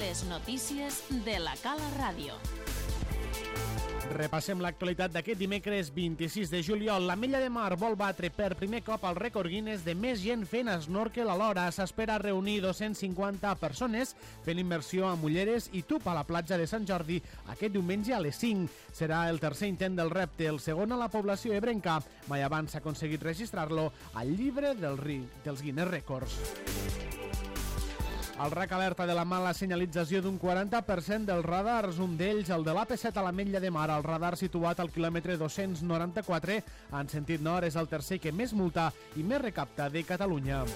Les notícies de la Cala Ràdio. Repassem l'actualitat d'aquest dimecres 26 de juliol. L'Ametlla de Mar vol batre per primer cop el rècord Guinness de més gent fent snorkel alhora. S'espera reunir 250 persones fent immersió amb ulleres i tub a la platja de Sant Jordi aquest diumenge a les 5. Serà el tercer intent del repte, el segon a la població ebrenca. Mai abans s'ha aconseguit registrar-lo al llibre dels Guinness Records. El RAC alerta de la mala senyalització d'un 40% dels radars, un d'ells el de l'AP7 a l'Ametlla de Mar. El radar situat al quilòmetre 294 en sentit nord és el tercer que més multa i més recapta de Catalunya.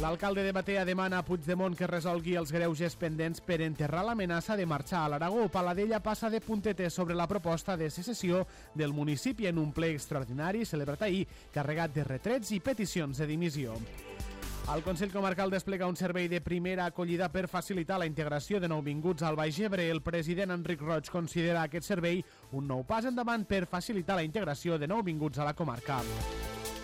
L'alcalde de Batea demana a Puigdemont que resolgui els greuges pendents per enterrar l'amenaça de marxar a l'Aragó. Paladella passa de puntetes sobre la proposta de secessió del municipi en un ple extraordinari celebrat ahir, carregat de retrets i peticions de dimissió. El Consell Comarcal desplega un servei de primera acollida per facilitar la integració de nouvinguts al Baix Ebre. El president Enric Roig considera aquest servei un nou pas endavant per facilitar la integració de nouvinguts a la comarca.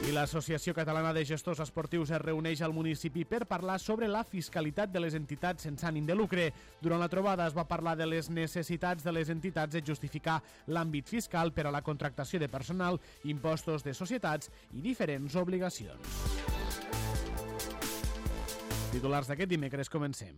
I l'Associació Catalana de Gestors Esportius es reuneix al municipi per parlar sobre la fiscalitat de les entitats sense ànim de lucre. Durant la trobada es va parlar de les necessitats de les entitats de justificar l'àmbit fiscal per a la contractació de personal, impostos de societats i diferents obligacions. Titulars d'aquest dimecres, comencem.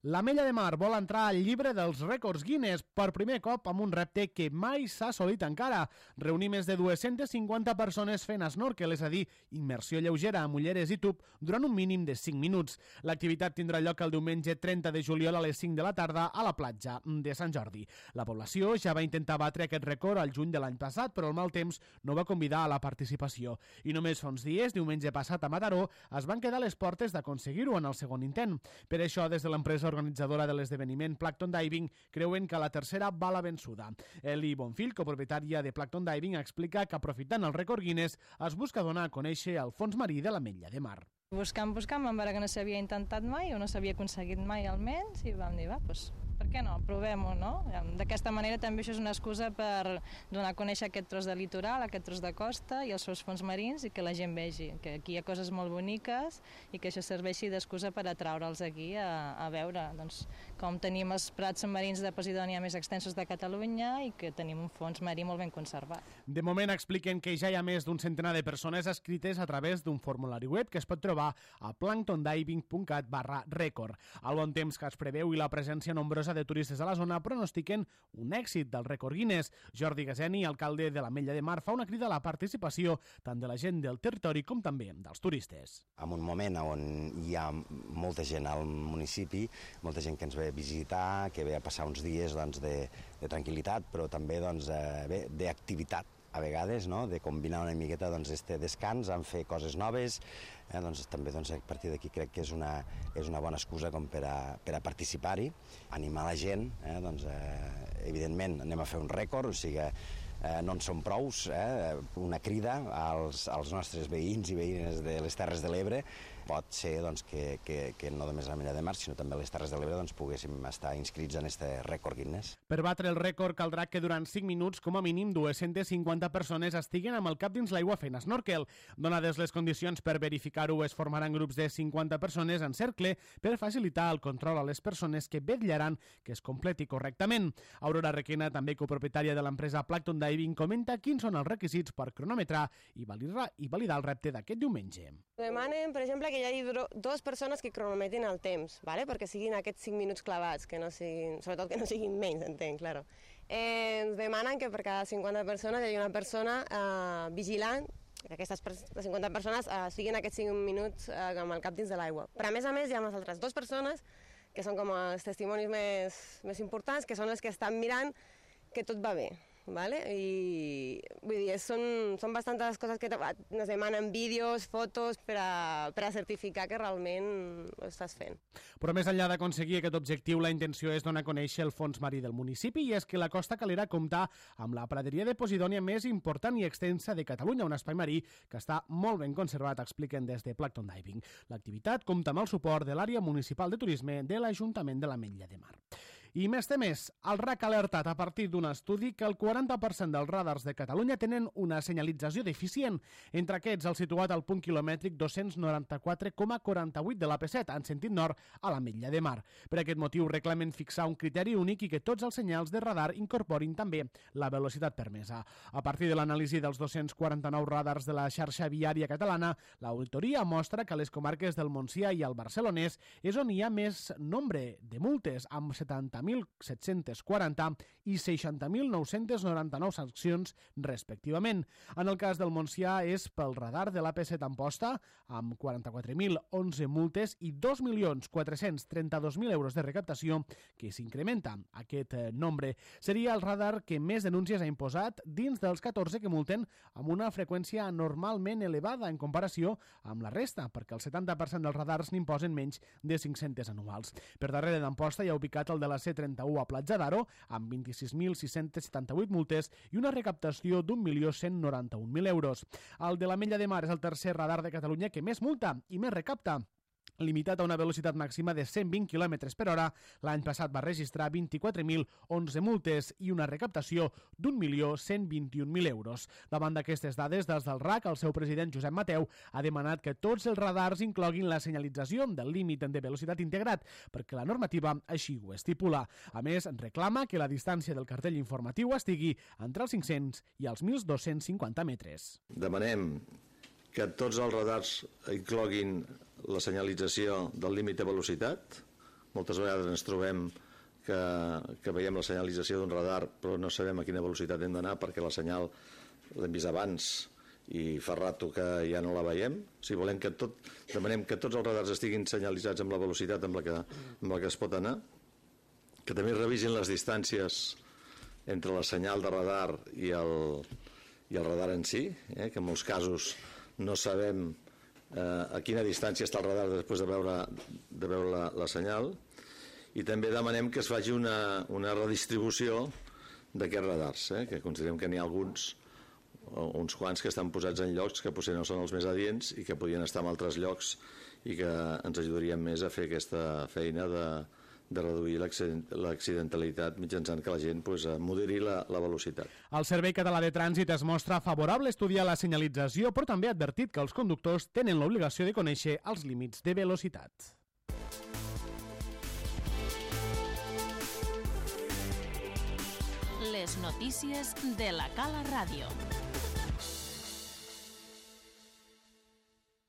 L'Ametlla de Mar vol entrar al llibre dels rècords Guinness per primer cop amb un repte que mai s'ha assolit encara. Reunir més de 250 persones fent snorkel, és a dir, immersió lleugera amb ulleres i tub durant un mínim de 5 minuts. L'activitat tindrà lloc el diumenge 30 de juliol a les 5 de la tarda a la platja de Sant Jordi. La població ja va intentar batre aquest rècord al juny de l'any passat, però el mal temps no va convidar a la participació. I només fa uns dies, diumenge passat a Mataró, es van quedar a les portes d'aconseguir-ho en el segon intent. Per això, des de l'empresa organitzadora de l'esdeveniment Plankton Diving creuen que la tercera va la vençuda. Eli Bonfill, copropietària de Plankton Diving, explica que aprofitant el rècord Guinness es busca donar a conèixer el fons marí de l'Ametlla de Mar. Buscant, vam veure que no s'havia intentat mai o no s'havia aconseguit mai almenys i vam dir, doncs, per què no? Provem-ho, no? D'aquesta manera també això és una excusa per donar a conèixer aquest tros de litoral, aquest tros de costa i els seus fons marins i que la gent vegi que aquí hi ha coses molt boniques i que això serveixi d'excusa per atraure'ls aquí a veure com tenim els prats submarins de Posidònia més extensos de Catalunya i que tenim un fons marí molt ben conservat. De moment expliquen que ja hi ha més d'un centenar de persones escrites a través d'un formulari web que es pot trobar a planktondiving.cat/rècord. El bon temps que es preveu i la presència nombrosa de turistes a la zona pronostiquen un èxit del rècord Guinness. Jordi Gaseni, alcalde de l'Ametlla de Mar, fa una crida a la participació tant de la gent del territori com també dels turistes. En un moment on hi ha molta gent al municipi, molta gent que ens ve a visitar, que ve a passar uns dies de tranquil·litat, però també d'activitat a vegades, de combinar una miqueta este descans amb fer coses noves, també a partir d'aquí crec que és una bona excusa com per a participar-hi, animar la gent, evidentment anem a fer un rècord, o sigui no en som prous, una crida als nostres veïns i veïnes de les Terres de l'Ebre. Pot ser que no només a l'Ametlla de Mar, sinó també a les Terres de l'Ebre poguéssim estar inscrits en aquest rècord Guinness. Per batre el rècord caldrà que durant 5 minuts, com a mínim, 250 persones estiguen amb el cap dins l'aigua fent snorkel. Donades les condicions per verificar-ho, es formaran grups de 50 persones en cercle per facilitar el control a les persones que vetllaran que es completi correctament. Aurora Requena, també copropietària de l'empresa Plankton Diving, comenta quins són els requisits per cronometrar i validar el repte d'aquest diumenge. Demanen, per exemple, que hi hagi 2 persones que cronometrin el temps, perquè siguin aquests 5 minuts clavats, sobretot que no siguin menys, entenc, claro. Ens demanen que per cada 50 persones hi hagi una persona vigilant que aquestes 50 persones siguin aquests 5 minuts amb el cap dins de l'aigua. Però a més hi ha unes altres 2 persones que són com els testimonis més importants, que són les que estan mirant que tot va bé. I vull dir, són bastantes coses que ens demanen vídeos, fotos per a certificar que realment ho estàs fent. Però més enllà d'aconseguir aquest objectiu, la intenció és donar a conèixer el fons marí del municipi, i és que la Costa Calera compta amb la praderia de Posidònia més important i extensa de Catalunya, un espai marí que està molt ben conservat, expliquen des de Plankton Diving. L'activitat compta amb el suport de l'àrea municipal de turisme de l'Ajuntament de l'Ametlla de Mar. I més temes, el RAC ha alertat a partir d'un estudi que el 40% dels radars de Catalunya tenen una senyalització deficient. Entre aquests, el situat al punt quilomètric 294,48 de l'AP7, en sentit nord, a l'Ametlla de Mar. Per aquest motiu reclamen fixar un criteri únic i que tots els senyals de radar incorporin també la velocitat permesa. A partir de l'anàlisi dels 249 radars de la xarxa viària catalana, l'auditoria mostra que a les comarques del Montsià i el Barcelonès és on hi ha més nombre de multes, amb 70.740 i 60.999 sancions respectivament. En el cas del Montsià és pel radar de l'AP7 Amposta, amb 44.011 multes i 2.432.000 euros de recaptació, que s'incrementa aquest nombre. Seria el radar que més denúncies ha imposat dins dels 14 que multen amb una freqüència normalment elevada en comparació amb la resta, perquè el 70% dels radars n'imposen menys de 500 anuals. Per darrere d'Amposta hi ha ubicat el de la C31 a Platja d'Aro, amb 26.678 multes i una recaptació d'1.191.000 euros. El de l'Ametlla de Mar és el tercer radar de Catalunya que més multa i més recapta, limitat a una velocitat màxima de 120 km per hora. L'any passat va registrar 24.011 multes i una recaptació d'1.121.000 euros. Davant d'aquestes dades, des del RAC, el seu president Josep Mateu ha demanat que tots els radars incloguin la senyalització del límit de velocitat integrat, perquè la normativa així ho estipula. A més, reclama que la distància del cartell informatiu estigui entre els 500 i els 1.250 metres. Demanem que tots els radars incloguin la senyalització del límit de velocitat. Moltes vegades ens trobem que veiem la senyalització d'un radar però no sabem a quina velocitat hem d'anar perquè la senyal l'hem vist abans i fa rato que ja no la veiem. Si volem demanem que tots els radars estiguin senyalitzats amb la velocitat amb la que es pot anar, que també revisin les distàncies entre la senyal de radar i el radar en si, que en molts casos no sabem a quina distància està el radar després de veure la senyal, i també demanem que es faci una redistribució d'aquests radars, que considerem que n'hi ha uns quants que estan posats en llocs que potser no són els més adients i que podrien estar en altres llocs i que ens ajudarien més a fer aquesta feina de reduir l'accidentalitat mitjançant que la gent moderi la velocitat. El Servei Català de Trànsit es mostra favorable a estudiar la senyalització, però també ha advertit que els conductors tenen l'obligació de conèixer els límits de velocitat. Les notícies de la Cala Ràdio.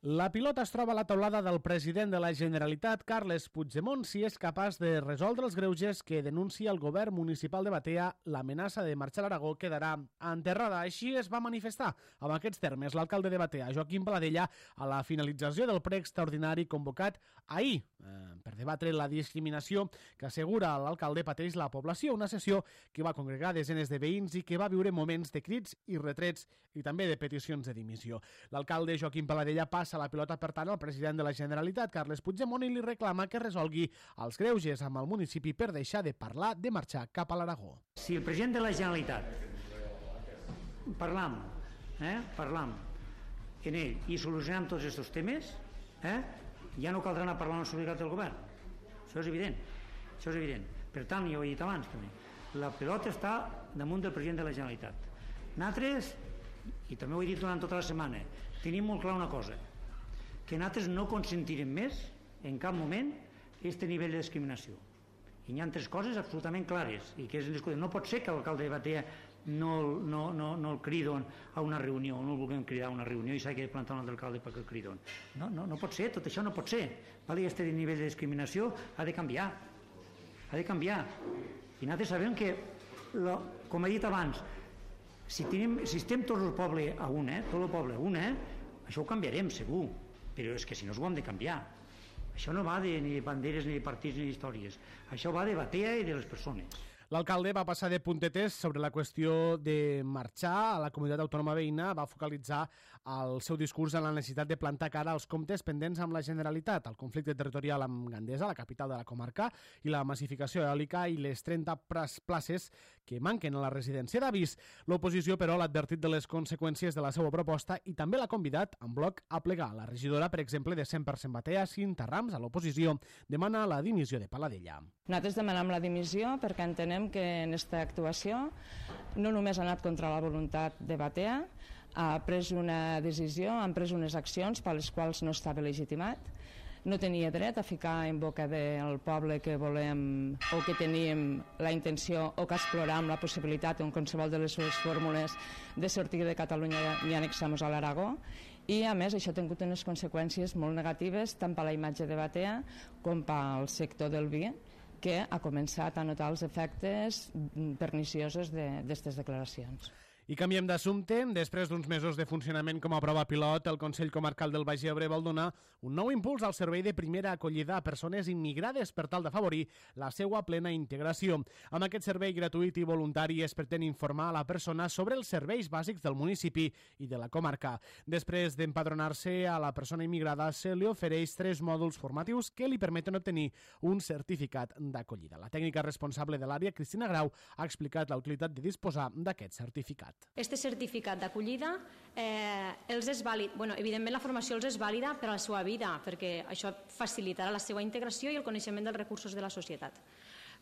La pilota es troba a la taulada del president de la Generalitat, Carles Puigdemont, si és capaç de resoldre els greuges que denuncia el govern municipal de Batea. L'amenaça de marxar a l'Aragó quedarà enterrada. Així es va manifestar amb aquests termes l'alcalde de Batea, Joaquim Paladella, a la finalització del ple extraordinari convocat ahir per debatre la discriminació que assegura l'alcalde pateix la població, una sessió que va congregar desenes de veïns i que va viure moments de crits i retrets i també de peticions de dimissió. L'alcalde Joaquim Paladella passa la pilota, per tant, al president de la Generalitat, Carles Puigdemont, i li reclama que resolgui els greuges amb el municipi per deixar de parlar de marxar cap a l'Aragó. Si el president de la Generalitat parlam en ell i solucionem tots aquests temes, ja no caldrà anar a parlar amb la solidaritat del govern. Això és evident. Per tant, ja ho he dit abans també, la pilota està damunt del president de la Generalitat. Nosaltres, i també ho he dit durant tota la setmana, tenim molt clar una cosa, que nosaltres no consentirem més, en cap moment, aquest nivell de discriminació. I hi ha tres coses absolutament clares, i que no pot ser que l'alcalde de Batea no el cridon a una reunió, no el vulguem cridar a una reunió i s'hagi de plantar un altre alcalde perquè el cridon. No pot ser, tot això no pot ser. Aquest nivell de discriminació ha de canviar. I nosaltres sabem que, com he dit abans, si estem tot el poble a això ho canviarem segur, però és que si no ho hem de canviar. Això no va ni de banderes, ni de partits, ni d'històries. Això va de Batea i de les persones. L'alcalde va passar de puntetes sobre la qüestió de marxar a la comunitat autònoma veïna, va focalitzar el seu discurs en la necessitat de plantar cara als comptes pendents amb la Generalitat, el conflicte territorial amb Gandesa, la capital de la comarca, i la massificació eòlica i les 30 places que manquen a la residència d'Avís. L'oposició, però, l'ha advertit de les conseqüències de la seva proposta i també l'ha convidat en bloc a plegar. La regidora, per exemple, de 100% Batea, Cinta Rams, a l'oposició, demana la dimissió de Paladella. Nosaltres demanem la dimissió perquè entenem que en aquesta actuació no només ha anat contra la voluntat de Batea, ha pres una decisió, han pres unes accions per les quals no estava legitimat, no tenia dret a ficar en boca del poble que volem o que teníem la intenció o que exploràvem la possibilitat en qualsevol de les seves fórmules de sortir de Catalunya i annexar-nos a l'Aragó. I, a més, això ha tingut unes conseqüències molt negatives tant per la imatge de Batea com pel sector del vi, que ha començat a notar els efectes perniciosos d'aquestes declaracions. I canviem d'assumpte. Després d'uns mesos de funcionament com a prova pilot, el Consell Comarcal del Baix Ebre vol donar un nou impuls al servei de primera acollida a persones immigrades per tal d'afavorir la seva plena integració. Amb aquest servei gratuït i voluntari es pretén informar a la persona sobre els serveis bàsics del municipi i de la comarca. Després d'empadronar-se a la persona immigrada, se li ofereix 3 mòduls formatius que li permeten obtenir un certificat d'acollida. La tècnica responsable de l'àrea, Cristina Grau, ha explicat la utilitat de disposar d'aquest certificat. Este certificat d'acollida els és vàlid, evidentment la formació els és vàlida per a la seva vida, perquè això facilitarà la seva integració i el coneixement dels recursos de la societat.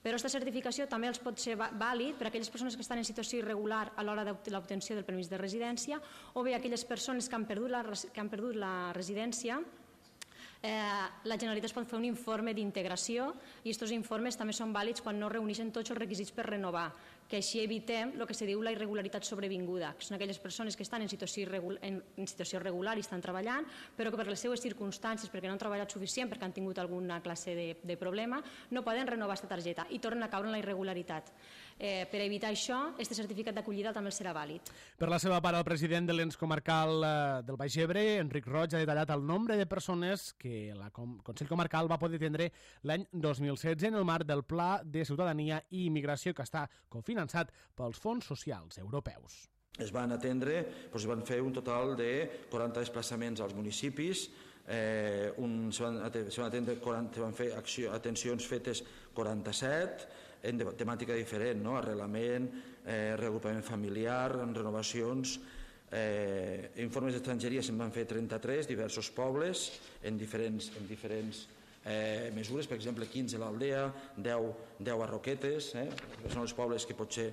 Però aquesta certificació també els pot ser vàlid per a aquelles persones que estan en situació irregular a l'hora de l'obtenció del permís de residència o bé aquelles persones que han perdut la residència. La Generalitat pot fer un informe d'integració i aquests informes també són vàlids quan no reuneixen tots els requisits per renovar, que així evitem el que se diu la irregularitat sobrevinguda, que són aquelles persones que estan en situació regular i estan treballant, però que per les seues circumstàncies, perquè no han treballat suficient, perquè han tingut alguna classe de problema, no poden renovar aquesta targeta i tornen a caure en la irregularitat. Per evitar això, aquest certificat d'acollida també serà vàlid. Per la seva part, el president de l'ens comarcal del Baix Ebre, Enric Roig, ha detallat el nombre de persones que el Consell Comarcal va poder atendre l'any 2016 en el marc del Pla de Ciutadania i Immigració que està cofinançat pels fons socials europeus. Es van atendre, es van fer un total de 40 desplaçaments als municipis, se van fer atencions fetes 47, en temàtica diferent, arrelament, reagrupament familiar, renovacions, informes d'estrangeria se'n van fer 33, diversos pobles, en diferents mesures, per exemple 15 a l'Aldea, 10 a Roquetes, que són els pobles que potser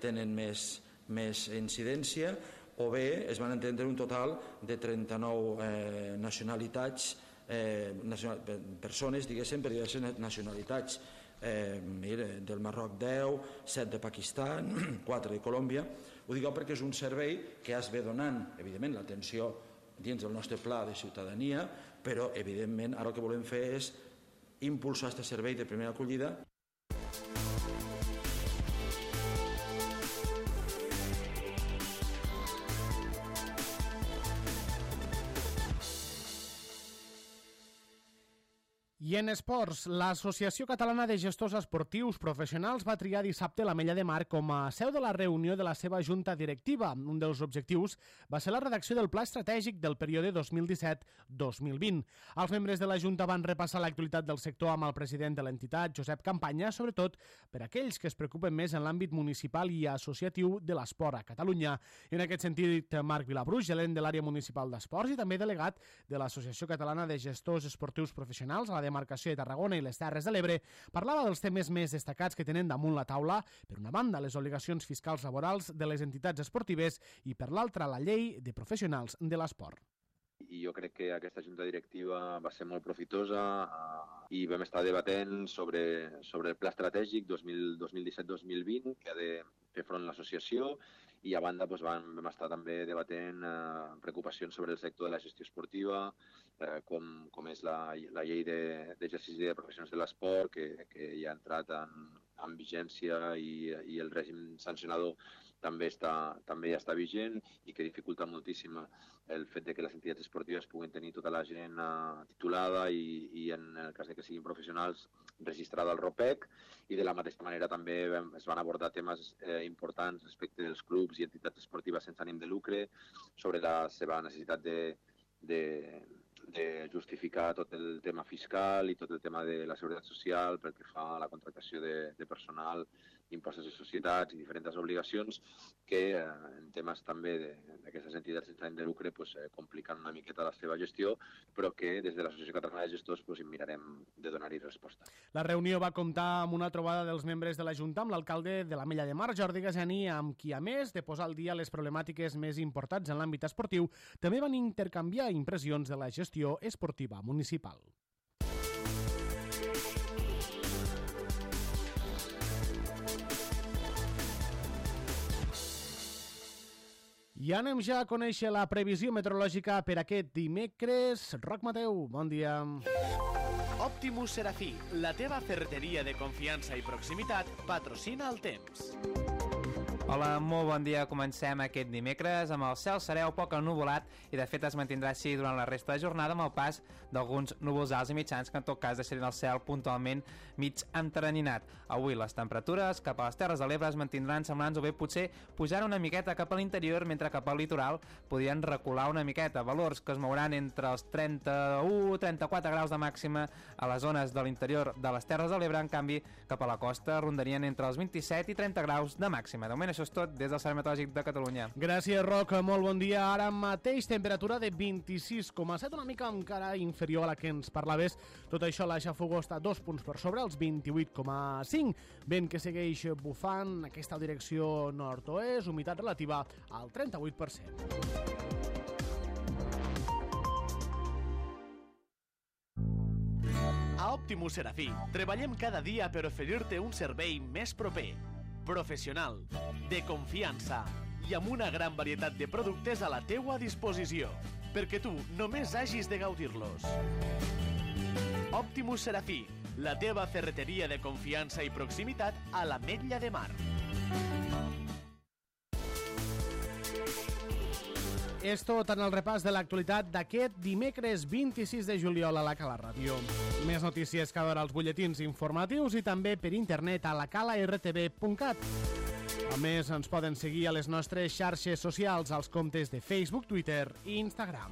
tenen més incidència, o bé es van entendre un total de 39 nacionalitats, persones, diguéssim, per diverses nacionalitats, del Marroc 10, 7 de Pakistan, 4 de Colòmbia. Ho dic perquè és un servei que es ve donant, evidentment, l'atenció dins del nostre pla de ciutadania, però, evidentment, ara el que volem fer és impulsar aquest servei de primera acollida. I en esports, l'Associació Catalana de Gestors Esportius Professionals va triar dissabte l'Ametlla de Mar com a seu de la reunió de la seva junta directiva. Un dels objectius va ser la redacció del pla estratègic del període 2017-2020. Els membres de la junta van repassar l'actualitat del sector amb el president de l'entitat, Josep Campanya, sobretot per aquells que es preocupen més en l'àmbit municipal i associatiu de l'esport a Catalunya. I en aquest sentit, Marc Vilabruix, gerent de l'àrea municipal d'esports i també delegat de l'Associació Catalana de Gestors Esportius Professionals a la demarcació de Tarragona i les Terres de l'Ebre, parlava dels temes més destacats que tenen damunt la taula, per una banda les obligacions fiscals laborals de les entitats esportives i per l'altra la llei de professionals de l'esport. I jo crec que aquesta junta directiva va ser molt profitosa i vam estar debatent sobre el pla estratègic 2017-2020 que ha de fer front a l'associació i a banda vam estar també debatent preocupacions sobre el sector de la gestió esportiva, com és la llei d'exercici de professionals de l'esport que ja ha entrat en vigència i el règim sancionador també ja està vigent i que dificulta moltíssim el fet que les entitats esportives puguin tenir tota la gent titulada i en el cas que siguin professionals registrada al ROPEC, i de la mateixa manera també es van abordar temes importants respecte dels clubs i entitats esportives sense ànim de lucre, sobre la seva necessitat de justificar tot el tema fiscal i tot el tema de la seguretat social pel que fa a la contractació de personal, impostos de societats i diferents obligacions que en temes també d'aquestes entitats sense ànim de lucre compliquen una miqueta la seva gestió, però que des de l'Associació Catalana de Gestors mirarem de donar-hi resposta. La reunió va comptar amb una trobada dels membres de la Junta amb l'alcalde de l'Ametlla de Mar, Jordi Gasani, amb qui, a més de posar al dia les problemàtiques més importants en l'àmbit esportiu, també van intercanviar impressions de la gestió esportiva municipal. I anem ja a conèixer la previsió meteorològica per aquest dimecres. Roc Mateu, bon dia. Optimus Serafí, la teva ferreteria de confiança i proximitat, patrocina el temps. Hola, molt bon dia. Comencem aquest dimecres amb el cel serè o poc ennuvolat i de fet es mantindrà així durant la resta de jornada amb el pas d'alguns núvols alts i mitjans que en tot cas deixaran el cel puntualment mig enteranyinat. Avui les temperatures cap a les Terres de l'Ebre es mantindran semblants o bé potser pujaran una miqueta cap a l'interior, mentre cap al litoral podrien recular una miqueta. Valors que es mouran entre els 31-34 graus de màxima a les zones de l'interior de les Terres de l'Ebre. En canvi, cap a la costa rondarien entre els 27 i 30 graus de màxima. De moment això és tot des del Servei Meteorològic de Catalunya. Gràcies, Roc. Molt bon dia. Ara mateix temperatura de 26,7, una mica encara inferior a la que ens parlaves. Tot això la xafogó està 2 punts per sobre, els 28,5. Vent que segueix bufant, aquesta direcció nord-oest, humitat relativa al 38%. A Optimus Serafí treballem cada dia per oferir-te un servei més proper, professional, de confiança i amb una gran varietat de productes a la teua disposició, perquè tu només hagis de gaudir-los. Optimus Serafí, la teva ferreteria de confiança i proximitat a l'Ametlla de Mar. És tot en el repàs de l'actualitat d'aquest dimecres 26 de juliol a la Cala Ràdio. Més notícies cada hora als butlletins informatius i també per internet a lacalartv.cat. A més, ens poden seguir a les nostres xarxes socials, als comptes de Facebook, Twitter i Instagram.